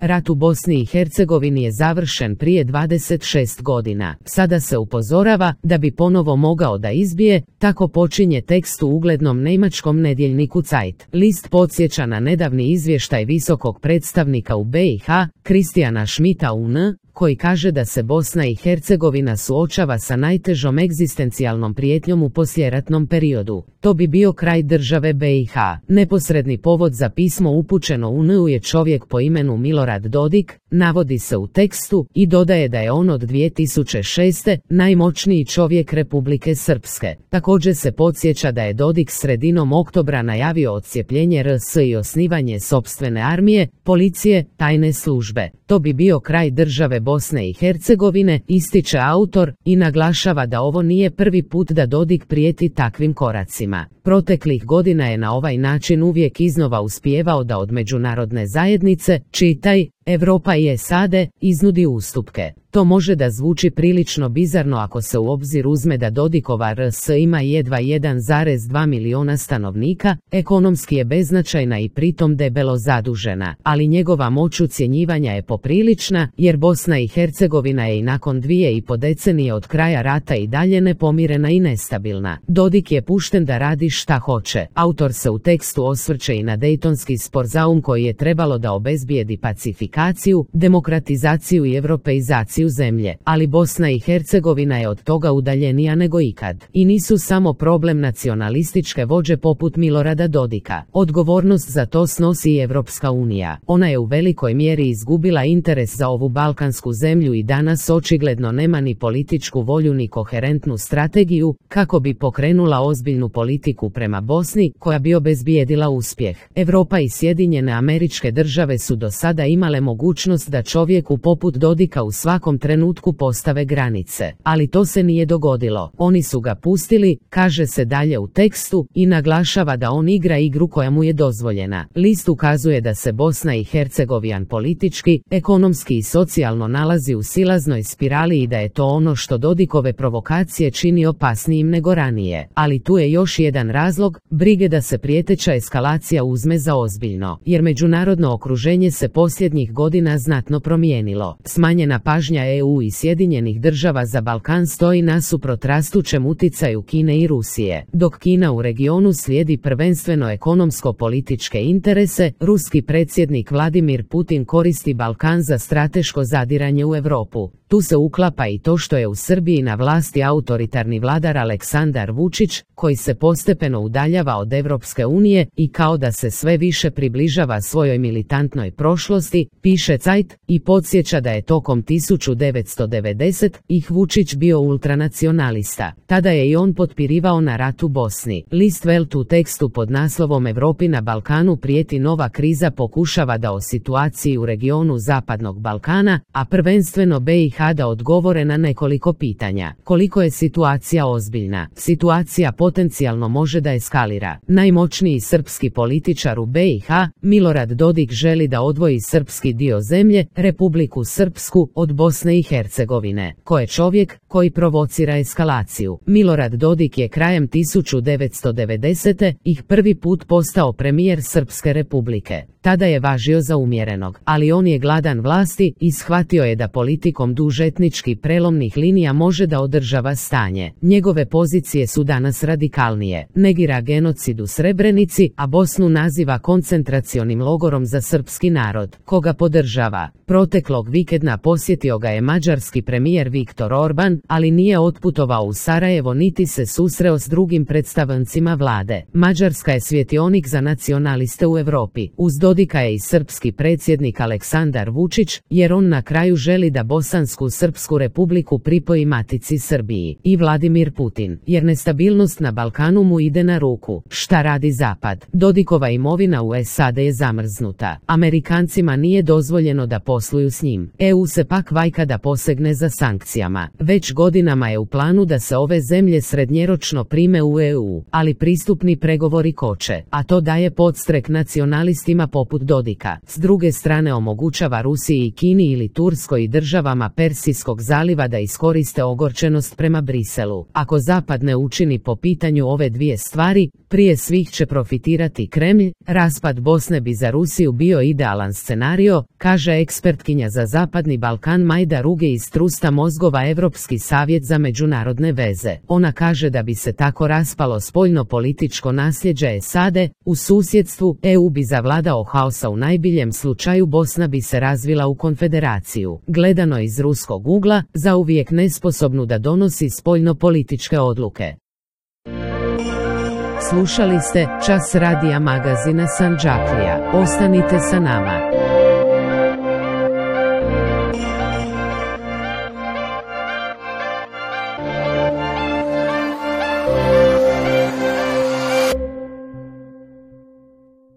Rat u Bosni i Hercegovini je završen prije 26 godina. Sada se upozorava da bi ponovo mogao da izbije, tako počinje tekst u uglednom njemačkom nedjeljniku Zeit. List podsjeća na nedavni izvještaj visokog predstavnika u BiH, Kristijana Schmidta UN, koji kaže da se Bosna i Hercegovina suočava sa najtežom egzistencijalnom prijetnjom u poslijeratnom periodu. To bi bio kraj države BiH. Neposredni povod za pismo upućeno UN-u je čovjek po imenu Milorad Dodik, navodi se u tekstu, i dodaje da je on od 2006. najmoćniji čovjek Republike Srpske. Također se podsjeća da je Dodik sredinom oktobra najavio odcijepljenje RS i osnivanje sopstvene armije, policije, tajne službe. To bi bio kraj države Bosne i Hercegovine, ističe autor, i naglašava da ovo nije prvi put da Dodik prijeti takvim koracima. Proteklih godina je na ovaj način uvijek iznova uspijevao da od međunarodne zajednice, čitaj, Europa i SAD, iznudi ustupke. To može da zvuči prilično bizarno ako se u obzir uzme da Dodikova RS ima jedva 1,2 miliona stanovnika, ekonomski je beznačajna i pritom debelo zadužena, ali njegova moć ucjenjivanja je poprilična, jer Bosna i Hercegovina je i nakon 2,5 decenije od kraja rata i dalje nepomirena i nestabilna. Dodik je pušten da radi šta hoće. Autor se u tekstu osvrće i na Dejtonski sporazum koji je trebalo da obezbijedi pacifikaciju, demokratizaciju i europeizaciju zemlje, ali Bosna i Hercegovina je od toga udaljenija nego ikad. I nisu samo problem nacionalističke vođe poput Milorada Dodika. Odgovornost za to snosi i Evropska unija. Ona je u velikoj mjeri izgubila interes za ovu balkansku zemlju i danas očigledno nema ni političku volju ni koherentnu strategiju kako bi pokrenula ozbiljnu politiku prema Bosni koja bi obezbijedila uspjeh. Europa i Sjedinjene Američke Države su do sada imale mogućnost da čovjeku poput Dodika u svakom trenutku postave granice, ali to se nije dogodilo. Oni su ga pustili, kaže se dalje u tekstu, i naglašava da on igra igru koja mu je dozvoljena. List ukazuje da se Bosna i Hercegovina politički, ekonomski i socijalno nalazi u silaznoj spirali i da je to ono što Dodikove provokacije čini opasnijim nego ranije. Ali tu je još jedan razlog, brige da se prijeteća eskalacija uzme za ozbiljno, jer međunarodno okruženje se posljednjih godina znatno promijenilo. Smanjena pažnja EU i Sjedinjenih Država za Balkan stoji nasuprot rastućem uticaju Kine i Rusije. Dok Kina u regionu slijedi prvenstveno ekonomsko-političke interese, ruski predsjednik Vladimir Putin koristi Balkan za strateško zadiranje u Europu. Tu se uklapa i to što je u Srbiji na vlasti autoritarni vladar Aleksandar Vučić, koji se postepeno udaljava od Evropske unije i kao da se sve više približava svojoj militantnoj prošlosti, piše Zeit, i podsjeća da je tokom 1990-ih Vučić bio ultranacionalista. Tada je i on potpirivao na rat u Bosni. List Welt u tekstu pod naslovom Europi na Balkanu prijeti nova kriza pokušava da o situaciji u regionu Zapadnog Balkana, a prvenstveno BiH, da odgovore na nekoliko pitanja. Koliko je situacija ozbiljna? Situacija potencijalno može da eskalira. Najmoćniji srpski političar u BiH, Milorad Dodik, želi da odvoji srpski dio zemlje, Republiku Srpsku, od Bosne i Hercegovine. Ko je čovjek koji provocira eskalaciju? Milorad Dodik je krajem 1990-ih prvi put postao premijer Srpske republike. Tada je važio za umjerenog, ali on je gladan vlasti i shvatio je da politikom dužetnički prelomnih linija može da održava stanje. Njegove pozicije su danas radikalnije. Negira genocid u Srebrenici, a Bosnu naziva koncentracionim logorom za srpski narod. Koga podržava? Proteklog vikenda posjetio ga je mađarski premijer Viktor Orban, ali nije otputovao u Sarajevo niti se susreo s drugim predstavnicima vlade. Mađarska je svjetionik za nacionaliste u Europi. Uz Dodika je i srpski predsjednik Aleksandar Vučić, jer on na kraju želi da Bosansku Srpsku republiku pripoji matici Srbiji. I Vladimir Putin, jer nestabilnost na Balkanu mu ide na ruku. Šta radi Zapad? Dodikova imovina u SAD je zamrznuta. Amerikancima nije dozvoljeno da posluju s njim. EU se pak vajka da posegne za sankcijama. Već godinama je u planu da se ove zemlje srednjeročno prime u EU, ali pristupni pregovori koče, a to daje podstrek nacionalistima poput Dodika. S druge strane omogućava Rusiji i Kini ili Turskoj i državama Persijskog zaliva da iskoriste ogorčenost prema Briselu. Ako Zapad ne učini po pitanju ove dvije stvari, prije svih će profitirati Kremlj. Raspad Bosne bi za Rusiju bio idealan scenario, Eto, kaže ekspertkinja za Zapadni Balkan Majda Ruge iz Trusta mozgova Europski savjet za međunarodne veze. Ona kaže da bi se tako raspalo spoljno-političko nasljeđe SAD-e u susjedstvu, EU bi zavladao haosa u najbiljem slučaju, Bosna bi se razvila u konfederaciju. Gledano iz ruskog ugla, zauvijek nesposobnu da donosi spoljno-političke odluke. Slušali ste Čas radija magazina Sandžaklija. Ostanite sa nama.